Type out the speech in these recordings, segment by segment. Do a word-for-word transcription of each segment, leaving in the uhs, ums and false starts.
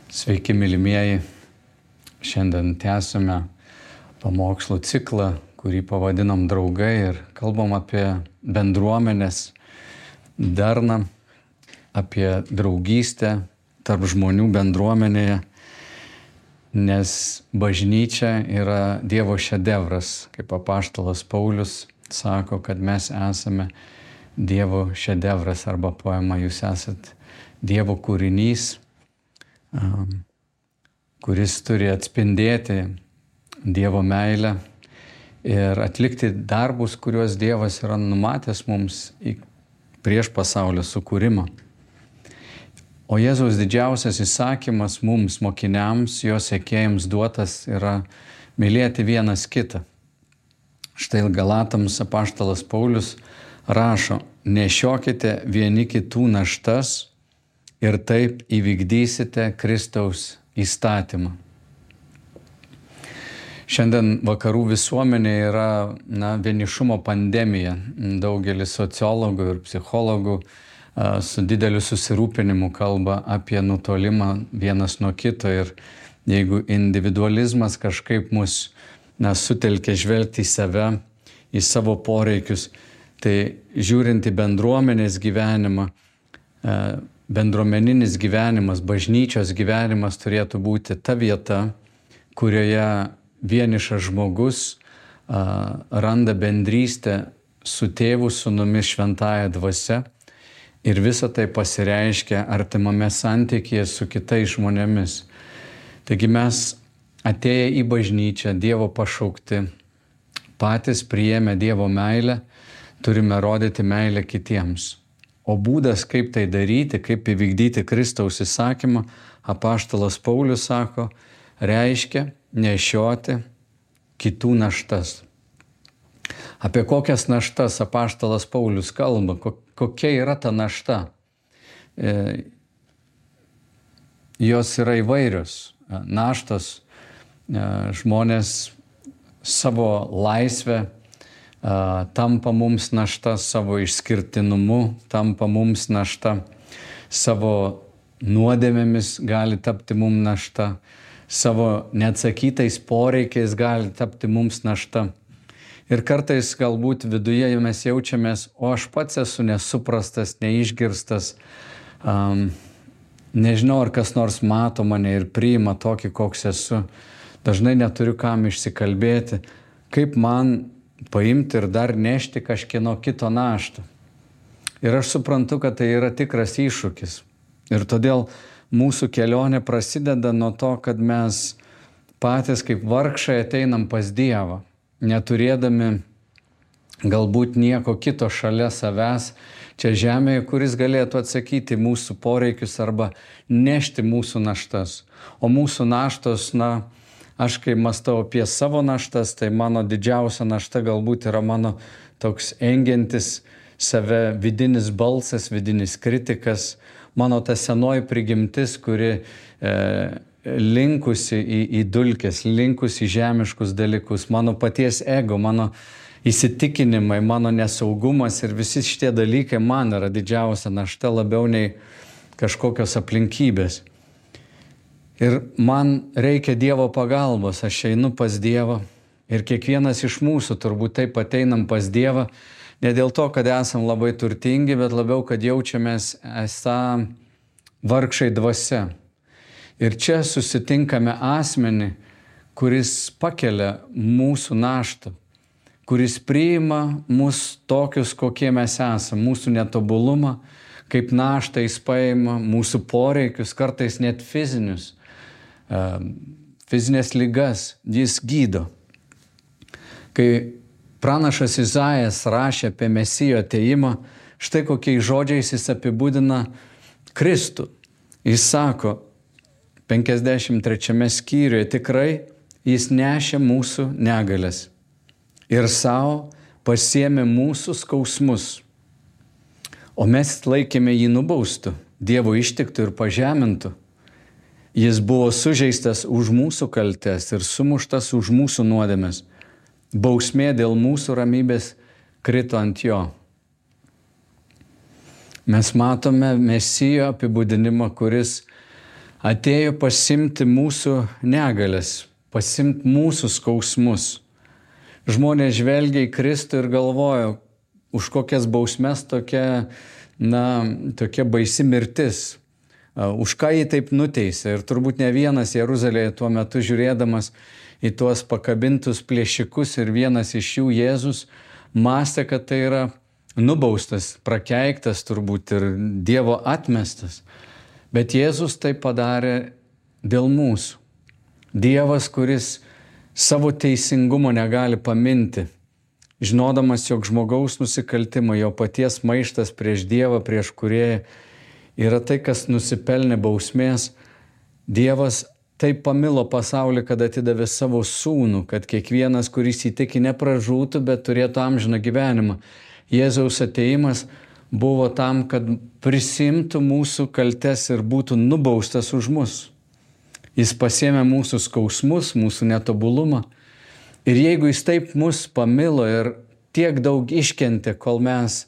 Sveiki, mylimieji. Šiandien tęsime pamokslų ciklą, kurį pavadinam Draugai ir kalbam apie bendruomenės darną, apie draugystę tarp žmonių bendruomenėje, nes bažnyčia yra Dievo šedevras, kaip apaštalas Paulius sako, kad mes esame Dievo šedevras, arba poema jūs esat Dievo kūrinys, kuris turi atspindėti Dievo meilę ir atlikti darbus, kuriuos Dievas yra numatęs mums prieš pasaulio sukūrimą. O Jėzaus didžiausias įsakymas mums, mokiniams, jo sekėjams duotas yra mylėti vienas kitą. Štai Galatams apaštalas Paulius rašo: nešiokite vieni kitų naštas ir taip įvykdysite Kristaus įstatymą. Šiandien vakarų visuomenė yra na, vienišumo pandemija. Daugelis sociologų ir psichologų a, su dideliu susirūpinimu kalba apie nutolimą vienas nuo kito. Ir jeigu individualizmas kažkaip mus na, sutelkia žvelgti į save, į savo poreikius, tai žiūrint į bendruomenės gyvenimą, a, bendruomeninis gyvenimas, bažnyčios gyvenimas turėtų būti ta vieta, kurioje vienišas žmogus a, randa bendrystę su tėvu, sūnumi, šventąja dvasia ir visa tai pasireiškia artimame santykyje su kitais žmonėmis. Taigi mes atėję į bažnyčią, Dievo pašaukti, patys priėmę Dievo meilę, turime rodyti meilę kitiems. O būdas, kaip tai daryti, kaip įvykdyti Kristaus įsakymą, apaštalas Paulius sako, reiškia nešioti kitų naštas. Apie kokias naštas apaštalas Paulius kalba, kokia yra ta našta? E, jos yra įvairios. Naštos e, žmonės savo laisvę tampa mums našta, savo išskirtinumu tampa mums našta, savo nuodėmėmis gali tapti mums našta, savo neatsakytais poreikiais gali tapti mums našta. Ir kartais galbūt viduje mes jaučiamės, o aš pats esu nesuprastas, neišgirstas, um, nežinau, ar kas nors mato mane ir priima tokį, koks esu. Dažnai neturiu kam išsikalbėti, kaip man paimti ir dar nešti kažkieno kito naštą. Ir aš suprantu, kad tai yra tikras iššūkis. Ir todėl mūsų kelionė prasideda nuo to, kad mes patys kaip vargšai ateinam pas Dievą, neturėdami galbūt nieko kito šalia savęs čia žemėje, kuris galėtų atsakyti mūsų poreikius arba nešti mūsų naštas. O mūsų naštos, na, aš kai mąstau apie savo naštas, tai mano didžiausia našta galbūt yra mano toks engiantis save vidinis balsas, vidinis kritikas, mano ta senoji prigimtis, kuri e, linkusi į, į dulkes, linkusi į žemiškus dalykus, mano paties ego, mano įsitikinimai, mano nesaugumas ir visi šitie dalykai man yra didžiausia našta labiau nei kažkokios aplinkybės. Ir man reikia Dievo pagalbos, aš einu pas Dievą ir kiekvienas iš mūsų turbūt taip ateinam pas Dievą, ne dėl to, kad esam labai turtingi, bet labiau, kad jaučiamės esą vargšai dvasia. Ir čia susitinkame asmenį, kuris pakelia mūsų naštą, kuris priima mus tokius, kokie mes esam, mūsų netobulumą, kaip naštą jis paima, mūsų poreikius, kartais net fizinius. Fizinės ligas jis gydo. Kai pranašas Izaijas rašė apie Mesijo atėjimą, štai kokiais žodžiais jis apibūdina Kristų. Jis sako penkiasdešimt trečiame skyriuje, tikrai jis nešė mūsų negalias ir savo pasiėmė mūsų skausmus, o mes laikėme jį nubaustų, Dievo ištiktų ir pažemintų. Jis buvo sužeistas už mūsų kaltes ir sumuštas už mūsų nuodėmes. Bausmė dėl mūsų ramybės krito ant jo. Mes matome Mesijo apibūdinimą, kuris atėjo pasimti mūsų negalės, pasimti mūsų skausmus. Žmonės žvelgia į Kristų ir galvoja, už kokias bausmes tokia, na, tokia baisi mirtis. Už ką jį taip nuteisė. Ir turbūt ne vienas Jeruzalėje tuo metu žiūrėdamas į tuos pakabintus plėšikus ir vienas iš jų Jėzus mąstė, kad tai yra nubaustas, prakeiktas turbūt ir Dievo atmestas. Bet Jėzus tai padarė dėl mūsų. Dievas, kuris savo teisingumo negali paminti, žinodamas, jog žmogaus nusikaltimai, jo paties maištas prieš Dievą, prieš Kūrėją yra tai, kas nusipelnė bausmės. Dievas taip pamilo pasaulį, kad atidavė savo sūnų, kad kiekvienas, kuris įtiki, nepražūtų, bet turėtų amžiną gyvenimą. Jėzaus ateimas buvo tam, kad prisimtų mūsų kaltes ir būtų nubaustas už mus. Jis pasiėmė mūsų skausmus, mūsų netobulumą. Ir jeigu jis taip mus pamilo ir tiek daug iškentė, kol mes,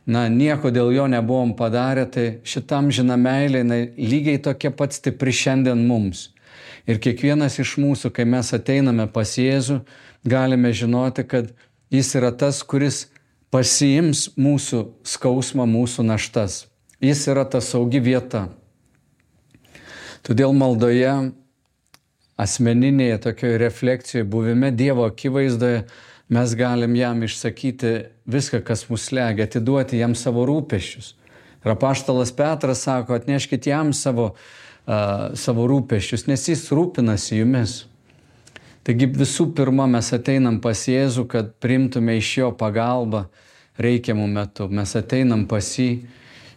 na, nieko dėl jo nebuvom padarę, tai šitam žina meilė, na, lygiai tokia pat stipri šiandien mums. Ir kiekvienas iš mūsų, kai mes ateiname pas Jėzų, galime žinoti, kad jis yra tas, kuris pasiims mūsų skausmą, mūsų naštas. Jis yra ta saugi vieta. Todėl maldoje, asmeninėje tokioje refleksijoje, buvime Dievo akivaizdoje, mes galim jam išsakyti viską, kas mus slegia, atiduoti jam savo rūpesčius. Ir apaštalas Petras sako, atneškit jam savo, uh, savo rūpesčius, nes jis rūpinasi jumis. Taigi visų pirma, mes ateinam pas Jėzų, kad priimtume iš jo pagalbą reikiamų metų. Mes ateinam pas jį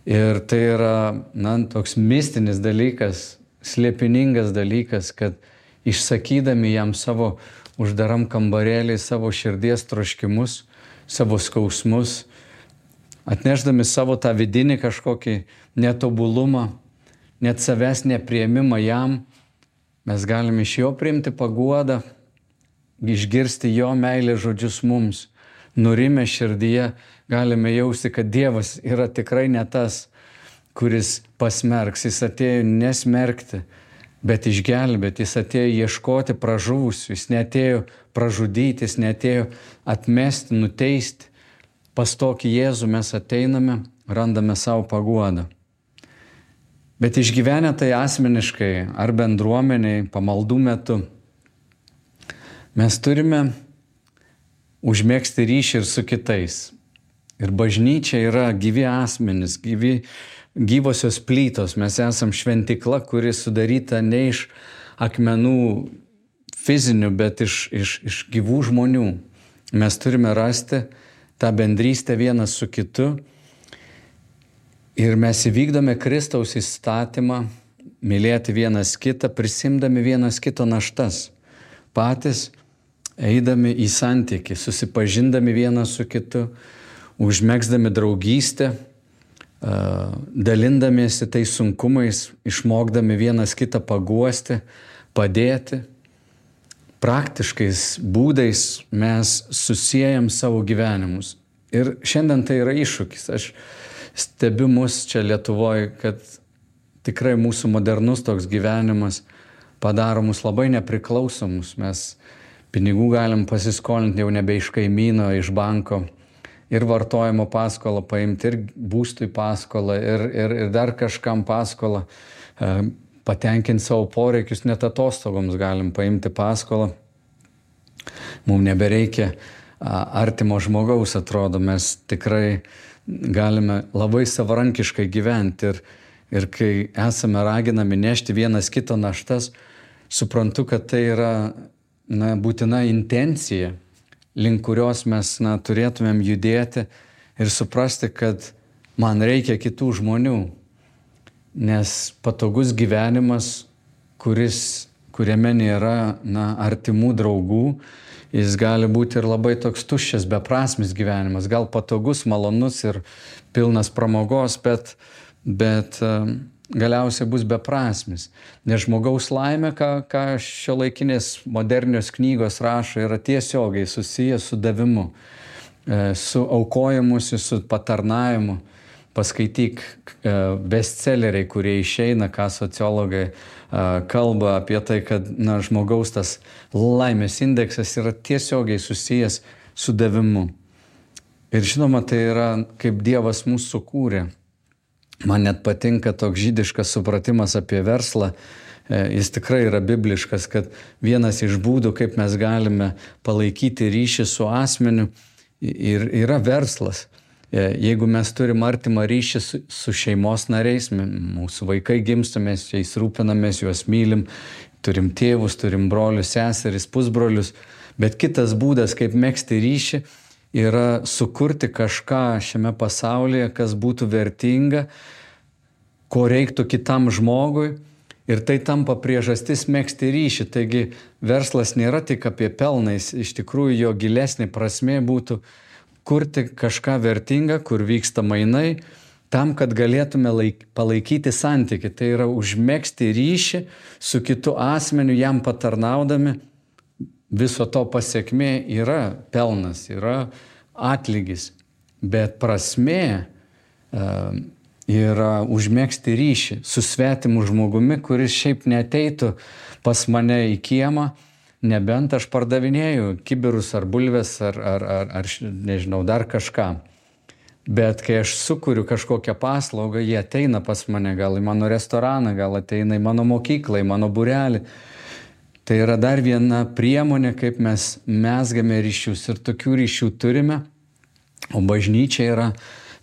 ir tai yra, na, toks mistinis dalykas, slėpiningas dalykas, kad išsakydami jam savo uždaram kambarėlį, savo širdies troškimus, savo skausmus, atnešdami savo tą vidinį kažkokį netobulumą, net savęs nepriėmimą jam, mes galime iš jo priimti paguodą, išgirsti jo meilės žodžius mums. Nurimę širdyje galime jausti, kad Dievas yra tikrai ne tas, kuris pasmerks. Jis atėjo nesmerkti, bet išgelbėti. Jis atėjo ieškoti pražuvusių. Jis neatėjo pražudyti, jis neatėjo atmesti, nuteisti. Pas tokį Jėzų mes ateiname, randame savo paguodą. Bet išgyvenę tai asmeniškai ar bendruomeniai, pamaldų metu, mes turime užmėgsti ryšį ir su kitais. Ir bažnyčia yra gyvi asmenys, gyvi, gyvosios plytos. Mes esam šventikla, kuri sudaryta ne iš akmenų fizinių, bet iš, iš, iš gyvų žmonių. Mes turime rasti tą bendrystę vienas su kitu. Ir mes įvykdome Kristaus įstatymą, mylėti vienas kitą, prisimdami vienas kito naštas. Patys eidami į santykį, susipažindami vienas su kitu, užmegzdami draugystę, dalindamiesi tais sunkumais, išmokdami vienas kitą paguosti, padėti. Praktiškais būdais mes susiejam savo gyvenimus. Ir šiandien tai yra iššūkis. Aš stebiu mus čia Lietuvoje, kad tikrai mūsų modernus toks gyvenimas padaro mus labai nepriklausomus. Mes pinigų galim pasiskolinti jau nebe iš kaimyno, iš banko. Ir vartojimo paskolą paimti, ir būstui paskolą, ir, ir, ir dar kažkam paskolą. Patenkinti savo poreikius, net atostogoms galim paimti paskolą. Mums nebereikia artimo žmogaus, atrodo, mes tikrai galime labai savarankiškai gyventi. Ir, ir kai esame raginami nešti vienas kito naštas, suprantu, kad tai yra, na, būtina intencija, link kurios mes, na, turėtumėm judėti ir suprasti, kad man reikia kitų žmonių. Nes patogus gyvenimas, kuris, kuriame nėra, na, artimų draugų, jis gali būti ir labai toks tuščias, beprasmis gyvenimas. Gal patogus, malonus ir pilnas pramogos, bet, bet galiausiai bus beprasmis. Nes žmogaus laimė, ką, ką šiuolaikinės modernios knygos rašo, yra tiesiogiai susijęs su davimu, su aukojimusi, su patarnavimu. paskaityk bestselleriai, kurie išeina, ką sociologai kalba apie tai, kad na, žmogaus tas laimės indeksas yra tiesiogiai susijęs su davimu. Ir žinoma, tai yra kaip Dievas mūsų sukūrė. Man net patinka toks žydiškas supratimas apie verslą. Jis tikrai yra bibliškas, kad vienas iš būdų, kaip mes galime palaikyti ryšį su asmeniu, yra verslas. Jeigu mes turim artimą ryšį su, su šeimos nariais, mūsų vaikai gimsta, mes jais rūpinamės, juos mylim, turim tėvus, turim brolius, seseris, pusbrolius, bet kitas būdas, kaip megzti ryšį, yra sukurti kažką šiame pasaulyje, kas būtų vertinga, ko reiktų kitam žmogui, ir tai tampa priežastis megzti ryšį. Taigi verslas nėra tik apie pelną, iš tikrųjų jo gilesnė prasmė būtų kurti kažką vertingą, kur vyksta mainai, tam, kad galėtume laik, palaikyti santykį. Tai yra užmegzti ryšį su kitu asmeniu, jam patarnaudami. Viso to pasiekmė yra pelnas, yra atlygis, bet prasmė uh, yra užmegzti ryšį su svetimu žmogumi, kuris šiaip neateitų pas mane į kiemą, nebent aš pardavinėju kibirus ar bulves ar, ar, ar, ar nežinau, dar kažką. Bet kai aš sukuriu kažkokią paslaugą, jie ateina pas mane, gal į mano restoraną, gal ateina į mano mokyklą, į mano būrelį. Tai yra dar viena priemonė, kaip mes mezgame ryšius, ir tokių ryšių turime. O bažnyčia yra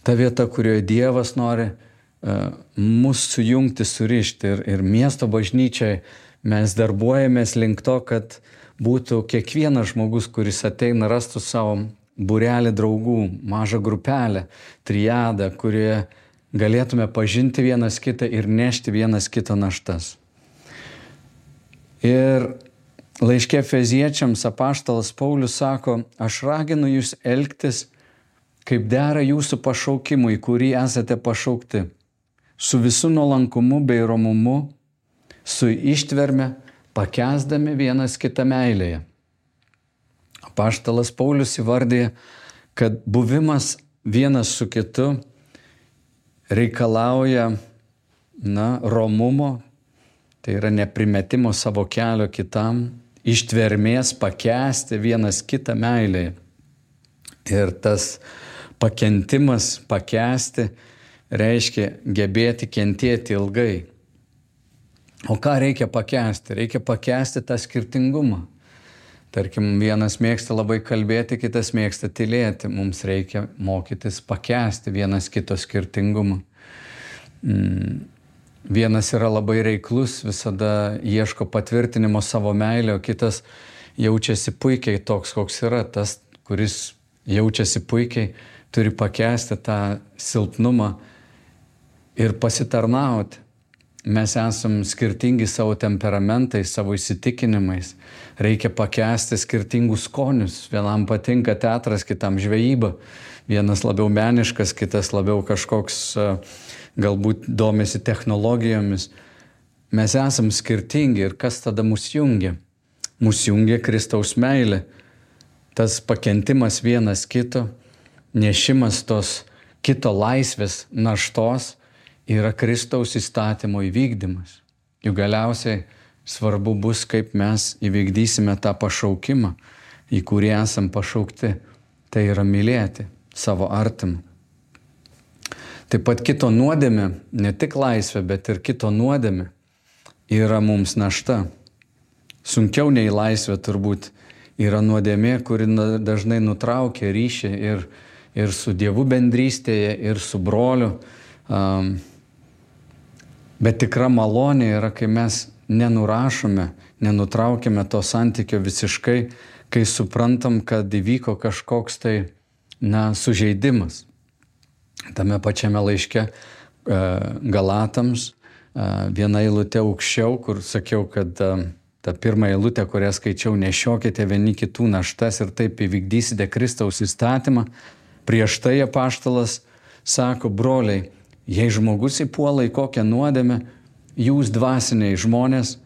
ta vieta, kurioje Dievas nori uh, mus sujungti, surišti. Ir, ir miesto bažnyčiai mes darbuojamės link to, kad būtų kiekvienas žmogus, kuris ateina, rastų savo būrelį draugų, mažą grupelę, triadą, kurioje galėtume pažinti vienas kitą ir nešti vienas kito naštas. Ir laiške Efeziečiams apaštalas Paulius sako, aš raginu jūs elgtis, kaip dera jūsų pašaukimui, kurį esate pašaukti, su visu nuolankumu bei romumu, su ištverme, pakęsdami vienas kitą meilėje. Apaštalas Paulius įvardija, kad buvimas vienas su kitu reikalauja na, romumo, tai yra neprimetimo savo kelio kitam, ištvermės pakęsti vienas kitą meilėje. Ir tas pakentimas, pakęsti, reiškia gebėti kentėti ilgai. O ką reikia pakęsti? Reikia pakęsti tą skirtingumą. Tarkim, vienas mėgsta labai kalbėti, kitas mėgsta tylėti. Mums reikia mokytis pakęsti vienas kito skirtingumą. Mm. Vienas yra labai reiklus, visada ieško patvirtinimo savo meilę, o kitas jaučiasi puikiai toks, koks yra. Tas, kuris jaučiasi puikiai, turi pakęsti tą silpnumą ir pasitarnauti. Mes esam skirtingi savo temperamentais, savo įsitikinimais. Reikia pakęsti skirtingus skonius. Vienam patinka teatras, kitam žvejyba. Vienas labiau meniškas, kitas labiau kažkoks galbūt domisi technologijomis. Mes esam skirtingi ir kas tada mus jungia? Mus jungia Kristaus meilė. Tas pakentimas vienas kito, nešimas tos kito laisvės naštos yra Kristaus įstatymo įvykdymas. Juk galiausiai svarbu bus, kaip mes įvykdysime tą pašaukimą, į kurį esam pašaukti. Tai yra mylėti savo artimą. Taip pat kito nuodėmė, ne tik laisvė, bet ir kito nuodėmė yra mums našta. Sunkiau nei laisvė turbūt yra nuodėmė, kuri dažnai nutraukia ryšį ir, ir su Dievu bendrystėje, ir su broliu. Um, bet tikra malonė yra, kai mes nenurašome, nenutraukime to santykio visiškai, kai suprantam, kad įvyko kažkoks tai na, sužeidimas. Tame pačiame laiške Galatams viena eilutė aukščiau, kur sakiau, kad ta pirma eilutė, kurią skaičiau, nešiokite vieni kitų naštas ir taip įvykdysite Kristaus įstatymą. Prieš tai apaštalas sako, broliai, jei žmogus įpuola į kokią nuodėmę, jūs dvasiniai žmonės,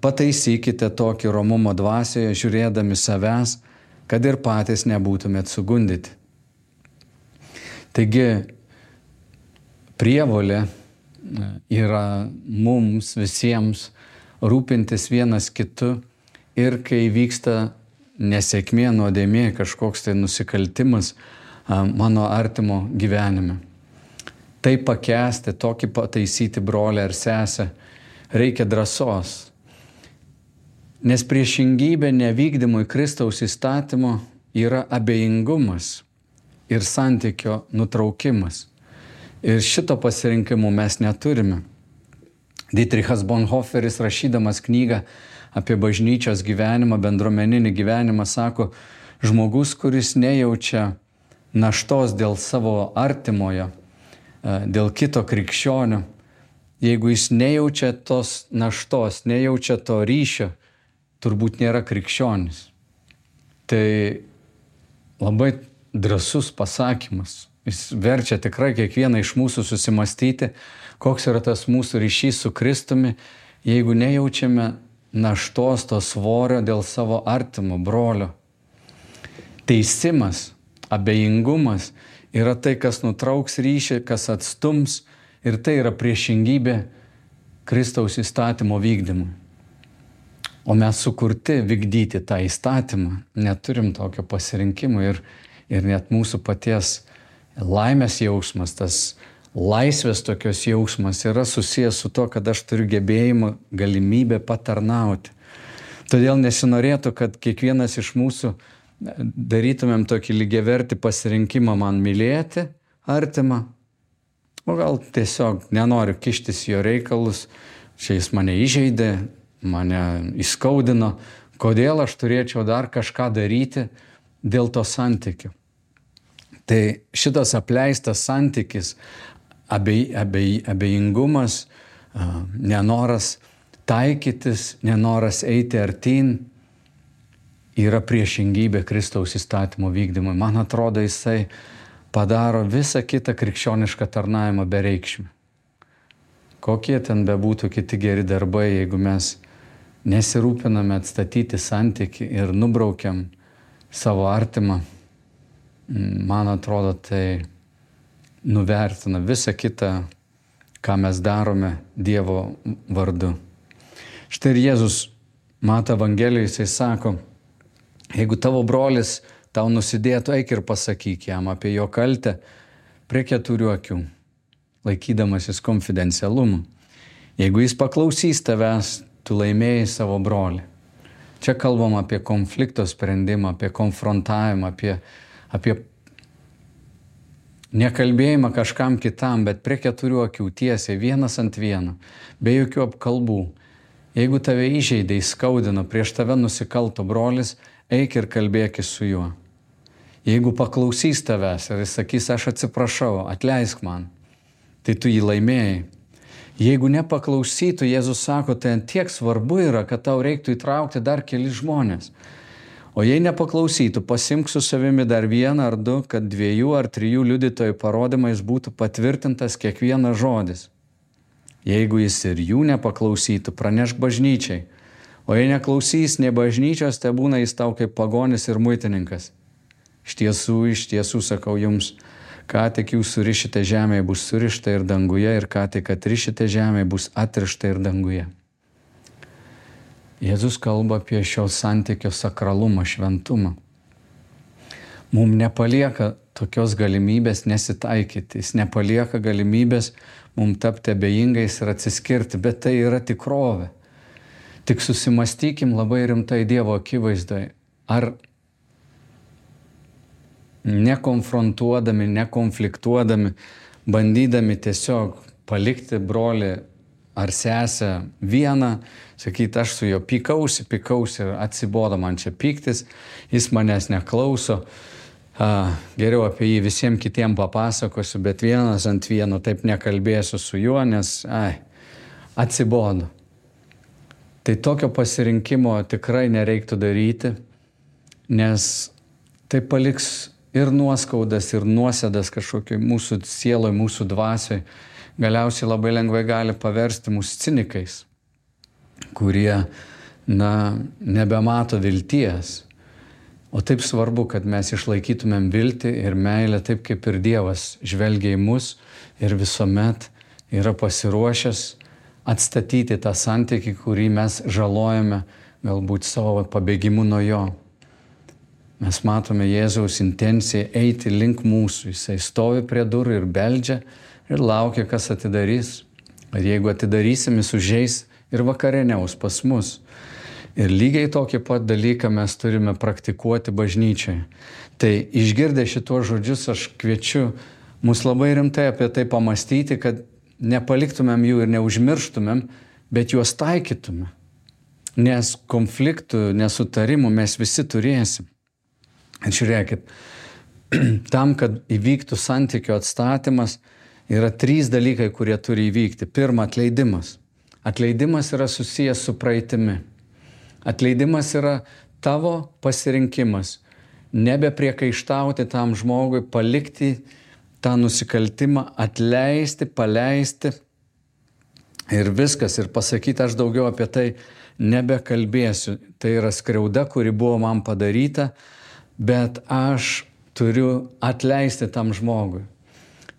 pataisykite tokį romumo dvasioje, žiūrėdami savęs, kad ir patys nebūtumėt sugundyti. Taigi, prievolė yra mums visiems rūpintis vienas kitu ir kai vyksta nesėkmė, nuodėmė, kažkoks tai nusikaltimas mano artimo gyvenime. Tai pakęsti, tokį pataisyti brolį ar sesę, reikia drąsos. Nes priešingybė nevykdymui Kristaus įstatymo yra abejingumas ir santykio nutraukimas. Ir šito pasirinkimo mes neturime. Dietrichas Bonhoefferis, rašydamas knygą apie bažnyčios gyvenimą, bendruomeninį gyvenimą, sako, žmogus, kuris nejaučia naštos dėl savo artimojo, dėl kito krikščionio, jeigu jis nejaučia tos naštos, nejaučia to ryšio, turbūt nėra krikščionis. Tai labai drąsus pasakymas. Jis verčia tikrai kiekvieną iš mūsų susimastyti, koks yra tas mūsų ryšys su Kristumi, jeigu nejaučiame naštos, to svorio dėl savo artimo brolio. Teisimas, abejingumas yra tai, kas nutrauks ryšį, kas atstums, ir tai yra priešingybė Kristaus įstatymo vykdymui. O mes sukurti vykdyti tą įstatymą, neturim tokio pasirinkimo ir, ir net mūsų paties laimės jausmas, tas laisvės tokios jausmas yra susijęs su to, kad aš turiu gebėjimą, galimybę patarnauti. Todėl nesinorėtų, kad kiekvienas iš mūsų darytumėm tokį lygiavertį pasirinkimą man mylėti artimą, o gal tiesiog nenoriu kištis jo reikalus, čia jis mane įžeidė, mane įskaudino, kodėl aš turėčiau dar kažką daryti dėl to santykių. Tai šitas apleistas santykis, abej, abej, abejingumas, nenoras taikytis, nenoras eiti artyn, yra priešingybė Kristaus įstatymo vykdymui. Man atrodo, jisai padaro visą kitą krikščionišką tarnavimą bereikšmį. Kokie ten bebūtų kiti geri darbai, jeigu mes nesirūpiname atstatyti santykį ir nubraukiam savo artimą, man atrodo, tai nuvertina visą kitą, ką mes darome Dievo vardu. Štai ir Jėzus Mato Evangelijoje, jisai sako, jeigu tavo brolis tau nusidėtų, eik ir pasakyk jam apie jo kaltę prie keturių akių, laikydamasis konfidencialumą. Jeigu jis paklausys tavęs, tu laimėjai savo brolį. Čia kalbam apie konflikto sprendimą, apie konfrontavimą, apie, apie nekalbėjimą kažkam kitam, bet prie keturių akių tiesiai, vienas ant vieno, be jokių apkalbų. Jeigu tave įžeidė, įskaudino, prieš tave nusikalto brolis, eik ir kalbėkis su juo. Jeigu paklausys tavęs ir jis sakys, aš atsiprašau, atleisk man, tai tu jį laimėjai. Jeigu nepaklausytų, Jėzus sako, tai tiek svarbu yra, kad tau reiktų įtraukti dar keli žmonės. O jei nepaklausytų, pasimk su savimi dar vieną ar du, kad dviejų ar trijų liudytojų parodymais būtų patvirtintas kiekvienas žodis. Jeigu jis ir jų nepaklausytų, pranešk bažnyčiai. O jei neklausys nei bažnyčios, te būna jis tau kaip pagonis ir muitininkas. Iš tiesų, iš tiesų sakau jums, ką tik jūs surišite žemėje, bus surišta ir danguje, ir ką tik atrišite žemėje, bus atrišta ir danguje. Jėzus kalba apie šio santykio sakralumą, šventumą. Mums nepalieka tokios galimybės nesitaikyti, jis nepalieka galimybės mums tapti abejingais ir atsiskirti, bet tai yra tikrovė. Tik susimastykim labai rimtai Dievo akivaizdoje, ar nekonfrontuodami, nekonfliktuodami, bandydami tiesiog palikti brolį ar sesę vieną, sakyti, aš su juo pykausi, pykausi ir atsibodo man čia pyktis, jis manęs neklauso, a, geriau apie jį visiems kitiem papasakosiu, bet vienas ant vieno taip nekalbėsiu su juo, nes ai, atsibodo. Tai tokio pasirinkimo tikrai nereiktų daryti, nes tai paliks ir nuoskaudas, ir nuosėdas kažkokiai mūsų sieloj, mūsų dvasioj. Galiausiai labai lengvai gali paversti mus cinikais, kurie, na, nebemato vilties. O taip svarbu, kad mes išlaikytumėm viltį ir meilę taip, kaip ir Dievas žvelgia į mus ir visuomet yra pasiruošęs atstatyti tą santykį, kurį mes žalojame galbūt savo pabėgimu nuo jo. Mes matome Jėzaus intenciją eiti link mūsų. Jisai stovi prie durų ir beldžia ir laukia, kas atidarys. Ir jeigu atidarysim, jis užeis ir vakarieniaus pas mus. Ir lygiai tokį pat dalyką mes turime praktikuoti bažnyčioje. Tai išgirdę šitos žodžius aš kviečiu mus labai rimtai apie tai pamastyti, kad nepaliktumėm jų ir neužmirštumėm, bet juos taikytumėm. Nes konfliktų, nesutarimų mes visi turėsim. Ir žiūrėkit, tam, kad įvyktų santykio atstatymas, yra trys dalykai, kurie turi įvykti. Pirma, atleidimas. Atleidimas yra susijęs su praeitimi. Atleidimas yra tavo pasirinkimas. Nebepriekaištauti tam žmogui, palikti tą nusikaltimą, atleisti, paleisti ir viskas. Ir pasakyti, aš daugiau apie tai nebekalbėsiu. Tai yra skriauda, kuri buvo man padaryta, bet aš turiu atleisti tam žmogui.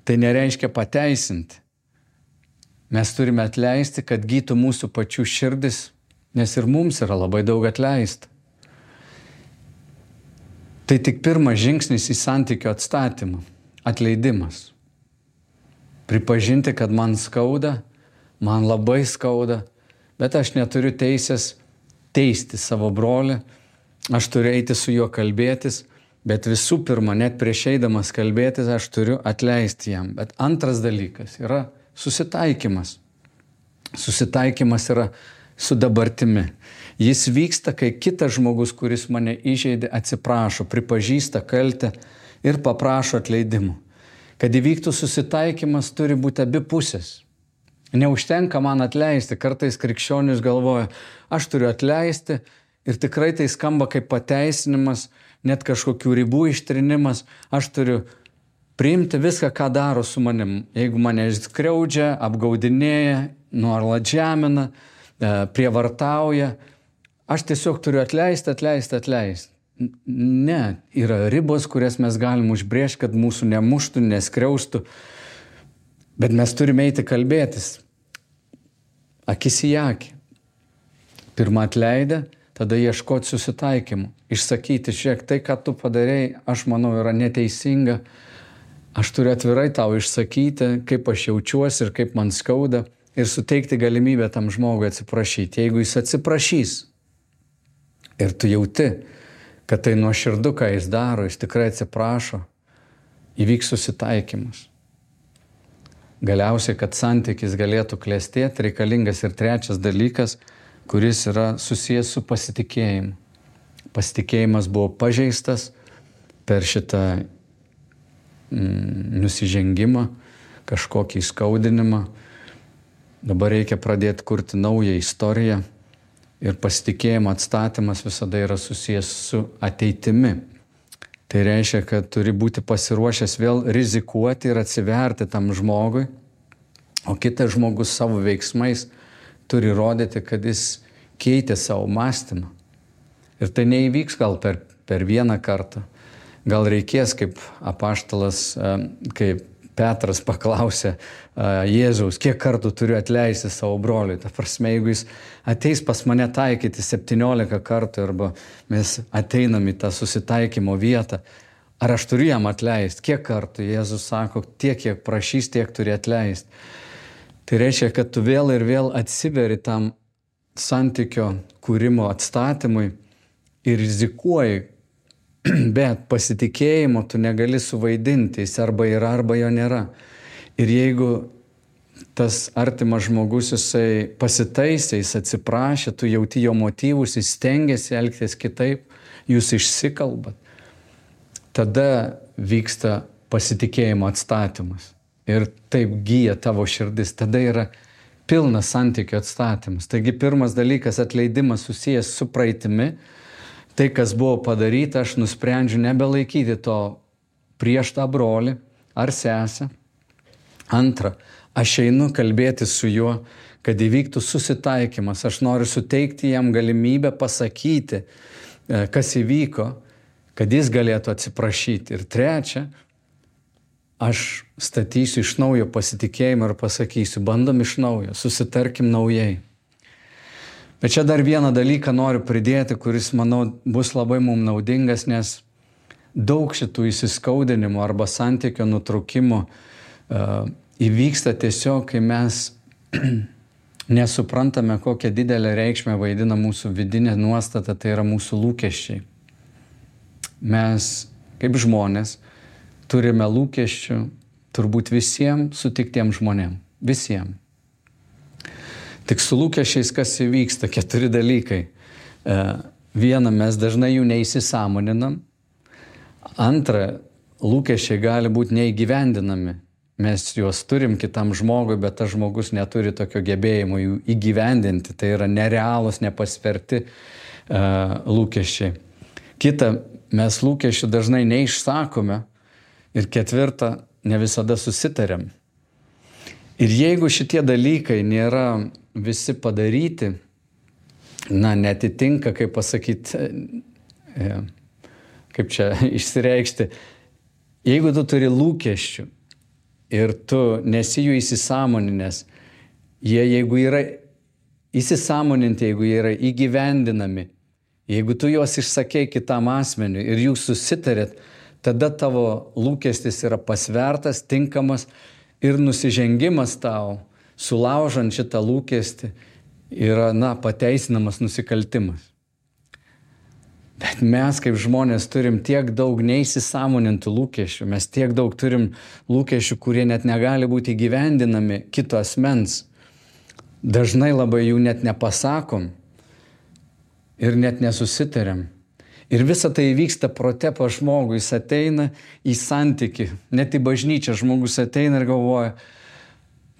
Tai nereiškia pateisinti. Mes turime atleisti, kad gytų mūsų pačių širdis, nes ir mums yra labai daug atleista. Tai tik pirmas žingsnis į santykio atstatymą. Atleidimas. Pripažinti, kad man skauda, man labai skauda, bet aš neturiu teisės teisti savo brolį, aš turiu eiti su juo kalbėtis, bet visų pirma, net prieš eidamas kalbėtis, aš turiu atleisti jam. Bet antras dalykas yra susitaikymas. Susitaikymas yra su dabartimi. Jis vyksta, kai kitas žmogus, kuris mane įžeidė, atsiprašo, pripažįsta kaltę ir paprašo atleidimų. Kad įvyktų susitaikymas, turi būti abi pusės. Neužtenka man atleisti. Kartais krikščionis galvoja, aš turiu atleisti ir tikrai tai skamba kaip pateisinimas, net kažkokių ribų ištrinimas. Aš turiu priimti viską, ką daro su manim. Jeigu mane skriaudžia, apgaudinėja, nuolat žemina, prievartauja, aš tiesiog turiu atleisti, atleisti, atleisti. Ne, yra ribos, kurias mes galim užbrėžti, kad mūsų nemuštų, neskriaustų, bet mes turime eiti kalbėtis. Akis į akį. Pirma atleidę, tada ieškoti susitaikymų. Išsakyti, žiūrėk, tai, ką tu padarėjai, aš manau, yra neteisinga. Aš turiu atvirai tau išsakyti, kaip aš jaučiuosi ir kaip man skauda ir suteikti galimybę tam žmogui atsiprašyti. Jeigu jis atsiprašys ir tu jauti, kad tai nuoširdu, ką jis daro, jis tikrai atsiprašo, įvyks susitaikymas. Galiausiai, kad santykis galėtų klestėti, reikalingas ir trečias dalykas, kuris yra susijęs su pasitikėjimu. Pasitikėjimas buvo pažeistas per šitą mm, nusižengimą, kažkokį įskaudinimą. Dabar reikia pradėti kurti naują istoriją. Ir pasitikėjimo atstatymas visada yra susijęs su ateitimi. Tai reiškia, kad turi būti pasiruošęs vėl rizikuoti ir atsiverti tam žmogui, o kitas žmogus savo veiksmais turi rodyti, kad jis keitė savo mąstymą. Ir tai neįvyks gal per, per vieną kartą. Gal reikės, kaip apaštalas, kaip Petras paklausė Jėzaus, kiek kartų turiu atleisti savo broliui. Ta prasme, jeigu jis ateis pas mane taikyti septyniolika kartų arba mes ateinam į tą susitaikymo vietą, ar aš turiu jam atleisti? Kiek kartų? Jėzus sako, tiek, kiek prašys, tiek turi atleisti. Tai reiškia, kad tu vėl ir vėl atsiveri tam santykio kūrimo atstatymui ir rizikuoji, bet pasitikėjimo tu negali suvaidinti, jis arba yra, arba jo nėra. Ir jeigu tas artimas žmogus, jisai pasitaisė, jis atsiprašė, tu jauti jo motyvus, jis stengiasi elgtis kitaip, jūs išsikalbat, tada vyksta pasitikėjimo atstatymas. Ir taip gyja tavo širdis, tada yra pilnas santykio atstatymas. Taigi pirmas dalykas, atleidimas susijęs su praeitimi. Tai, kas buvo padaryta, aš nusprendžiu nebelaikyti to prieš tą brolį ar sesę. Antra, aš einu kalbėti su juo, kad įvyktų susitaikymas. Aš noriu suteikti jam galimybę pasakyti, kas įvyko, kad jis galėtų atsiprašyti. Ir trečia, aš statysiu iš naujo pasitikėjimą ir pasakysiu, bandom iš naujo, susitarkim naujai. Bet čia dar vieną dalyką noriu pridėti, kuris, manau, bus labai mums naudingas, nes daug šitų įsiskaudinimų arba santykio nutraukimų uh, įvyksta tiesiog, kai mes nesuprantame, kokią didelę reikšmę vaidina mūsų vidinė nuostata, tai yra mūsų lūkesčiai. Mes, kaip žmonės, turime lūkesčių turbūt visiems sutiktiems žmonėms. Visiems. Tik su lūkesčiais kas įvyksta? Keturi dalykai. Viena, mes dažnai jų neįsisąmoninam. Antra, lūkesčiai gali būti neįgyvendinami. Mes juos turim kitam žmogui, bet tas žmogus neturi tokio gebėjimo jų įgyvendinti. Tai yra nerealūs, nepasverti uh, lūkesčiai. Kita, mes lūkesčių dažnai neišsakome. Ir ketvirta, ne visada susitariam. Ir jeigu šitie dalykai nėra visi padaryti, na, netitinka, kaip pasakyti, kaip čia išsireikšti, jeigu tu turi lūkesčių ir tu nesi jų įsisąmoninęs, jie jeigu yra įsisąmoninti, jeigu jie yra įgyvendinami, jeigu tu juos išsakei kitam asmeniui ir jūs susitarėt, tada tavo lūkestis yra pasvertas, tinkamas ir nusižengimas tau, sulaužant šitą lūkestį, yra, na, pateisinamas nusikaltimas. Bet mes kaip žmonės turim tiek daug neįsisąmonintų lūkesčių, mes tiek daug turim lūkesčių, kurie net negali būti įgyvendinami kito asmens. Dažnai labai jų net nepasakom ir net nesusitariam. Ir visa tai vyksta prote pas žmogų, jis ateina į santykį, net į bažnyčią žmogus ateina ir galvoja,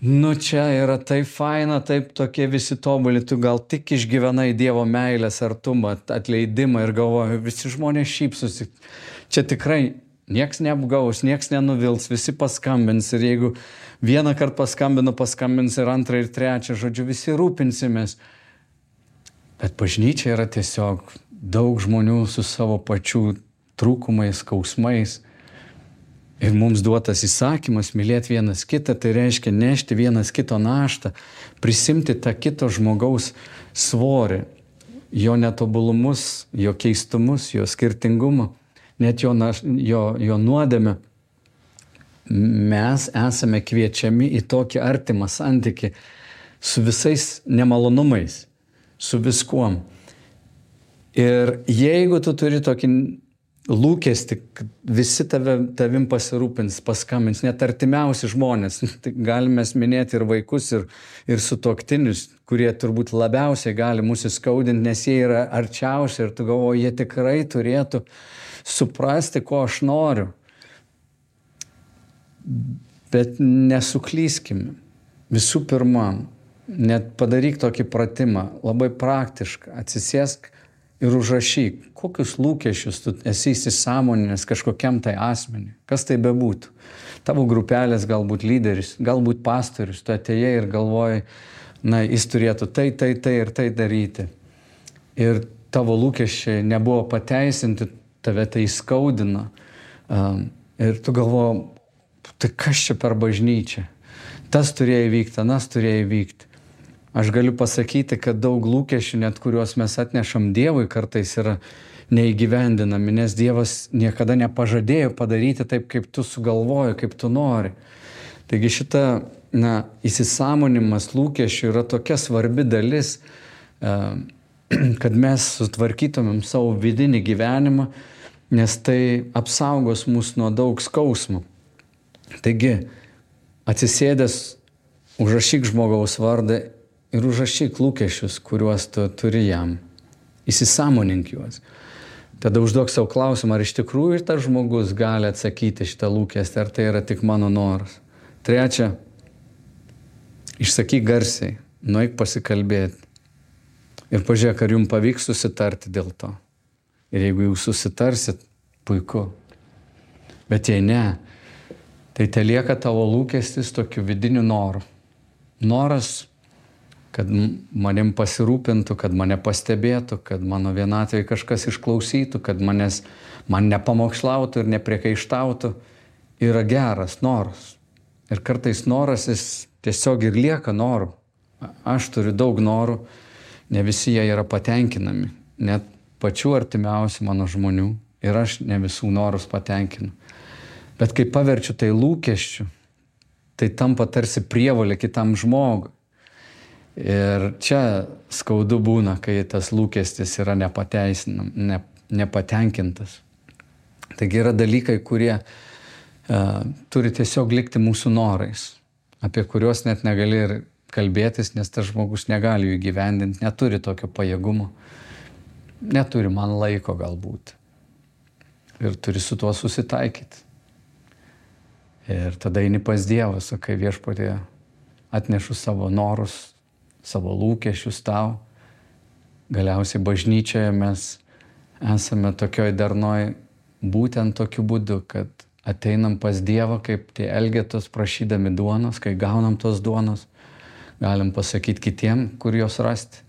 nu čia yra taip faina, taip tokie visi tobuli, tu gal tik išgyvenai Dievo meilės artumą, atleidimą ir galvoja, visi žmonės šypsosi. Čia tikrai nieks neapgaus, nieks nenuvils, visi paskambins ir jeigu vieną kartą paskambino, paskambins ir antrą ir trečią, žodžiu, visi rūpinsimės. Bet bažnyčia yra tiesiog daug žmonių su savo pačių trūkumais, skausmais. Ir mums duotas įsakymas mylėti vienas kitą, tai reiškia nešti vienas kito naštą, prisimti tą kito žmogaus svorį, jo netobulumus, jo keistumus, jo skirtingumą, net jo, naš, jo, jo nuodėmę. Mes esame kviečiami į tokį artimą santykį su visais nemalonumais, su viskuom. Ir jeigu tu turi tokį lūkestį, kad visi tave, tavim pasirūpins, paskambins, net artimiausi žmonės, tai galime minėti ir vaikus, ir, ir sutuoktinius, kurie turbūt labiausiai gali mūsų skaudinti, nes jie yra arčiausiai ir tu galvoji, jie tikrai turėtų suprasti, ko aš noriu. Bet nesuklyskime. Visų pirma, net padaryk tokį pratimą, labai praktišką, atsisėsk ir užrašyk, kokius lūkesčius tu esi įsisąmoninęs kažkokiam tai asmeniui, kas tai bebūtų. Tavo grupelės galbūt lyderis, galbūt pastorius, tu atėjai ir galvoji, na, jis turėtų tai, tai, tai ir tai daryti. Ir tavo lūkesčiai nebuvo pateisinti, tave tai skaudina. Um, ir tu galvoji, tai kas čia per bažnyčią? Tas turėjo įvykti, anas turėjo įvykti. Aš galiu pasakyti, kad daug lūkesčių, net kuriuos mes atnešam Dievui, kartais yra neįgyvendinami, nes Dievas niekada nepažadėjo padaryti taip, kaip tu sugalvoji, kaip tu nori. Taigi šita, na, įsisąmonimas lūkesčių yra tokia svarbi dalis, kad mes sutvarkytumėm savo vidinį gyvenimą, nes tai apsaugos mus nuo daug skausmų. Taigi, atsisėdęs, užrašyk žmogaus vardą ir užrašyk lūkesčius, kuriuos tu turi jam. Įsisąmonink juos. Tada užduok savo klausimą, ar iš tikrųjų ir tas žmogus gali atsakyti šitą lūkestį, ar tai yra tik mano noras. Trečia, išsakyk garsiai, nueik pasikalbėti. Ir pažiūrėk, ar jums pavyks susitarti dėl to. Ir jeigu jūs susitarsit, puiku. Bet jei ne, tai te lieka tavo lūkestis tokiu vidiniu noru. Noras kad manim pasirūpintų, kad mane pastebėtų, kad mano vienatvėje kažkas išklausytų, kad manęs, man nepamokslautų ir nepriekaištautų, yra geras noras. Ir kartais noras jis tiesiog ir lieka noru. Aš turiu daug norų, ne visi jie yra patenkinami, net pačių artimiausių mano žmonių, ir aš ne visų norus patenkinu. Bet kai paverčiu tai lūkesčiu, tai tampa tarsi prievolė kitam žmogui. Ir čia skaudu būna, kai tas lūkestis yra nepateisinam, ne, nepatenkintas. Taigi yra dalykai, kurie uh, turi tiesiog likti mūsų norais, apie kuriuos net negali ir kalbėtis, nes tas žmogus negali jų įgyvendinti, neturi tokio pajėgumo, neturi man laiko galbūt. Ir turi su tuo susitaikyti. Ir tada eini pas Dievą, sakai, Viešpatie, atnešu savo norus, savo lūkesčius tau. Galiausiai bažnyčioje mes esame tokioj darnoj būtent tokiu būdu, kad ateinam pas Dievą kaip tie elgetos prašydami duonos, kai gaunam tos duonos, galim pasakyti kitiem, kur jos rasti.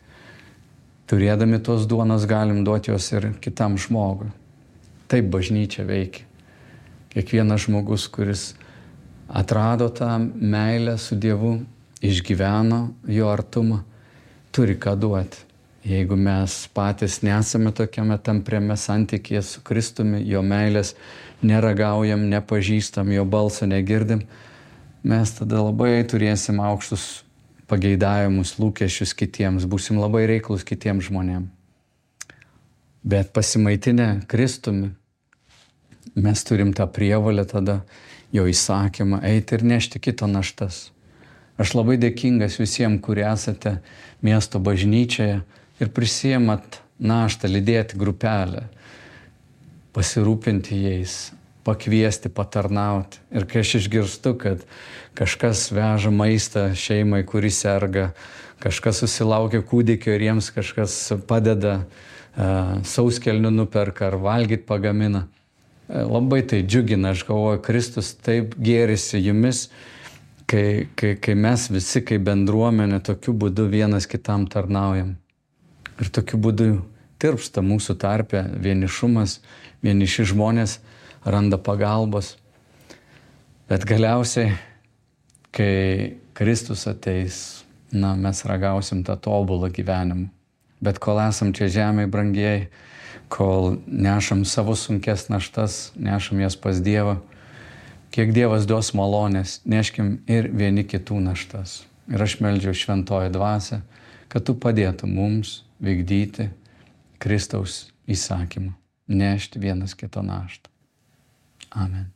Turėdami tos duonos galim duoti jos ir kitam žmogui. Taip bažnyčia veikia. Kiekvienas žmogus, kuris atrado tą meilę su Dievu, išgyveno jo artumą, turi ką duoti. Jeigu mes patys nesame tokiame tampriame santykyje su Kristumi, jo meilės neragaujam, nepažįstam, jo balso negirdim, mes tada labai turėsim aukštus pageidavimus, lūkesčius kitiems, būsim labai reiklus kitiems žmonėms. Bet pasimaitinę Kristumi, mes turim tą prievolę tada, jo įsakymą, eiti ir nešti kito naštas. Aš labai dėkingas visiems, kurie esate miesto bažnyčioje ir prisiemat naštą, lydėti grupelę, pasirūpinti jais, pakviesti, patarnauti. Ir kai aš išgirstu, kad kažkas veža maistą šeimai, kuri serga, kažkas susilaukia kūdikio ir jiems kažkas padeda, uh, sauskelnių nuperka ar valgyti pagamina, uh, labai tai džiugina. Aš galvoju, Kristus taip gėrisi jumis, Kai, kai, kai mes visi kaip bendruomenė tokiu būdu vienas kitam tarnaujam. Ir tokiu būdu tirpsta mūsų tarpe vienišumas, vieniši žmonės randa pagalbos. Bet galiausiai, kai Kristus ateis, na, mes ragausim tą tobulą gyvenimą. Bet kol esam čia žemėje, brangieji, kol nešam savo sunkes naštas, nešam jas pas Dievą, kiek Dievas duos malonės, neškim ir vieni kitų naštas. Ir aš meldžiu šventoji dvasia, kad tu padėtum mums vykdyti Kristaus įsakymą, nešti vienas kito naštą. Amen.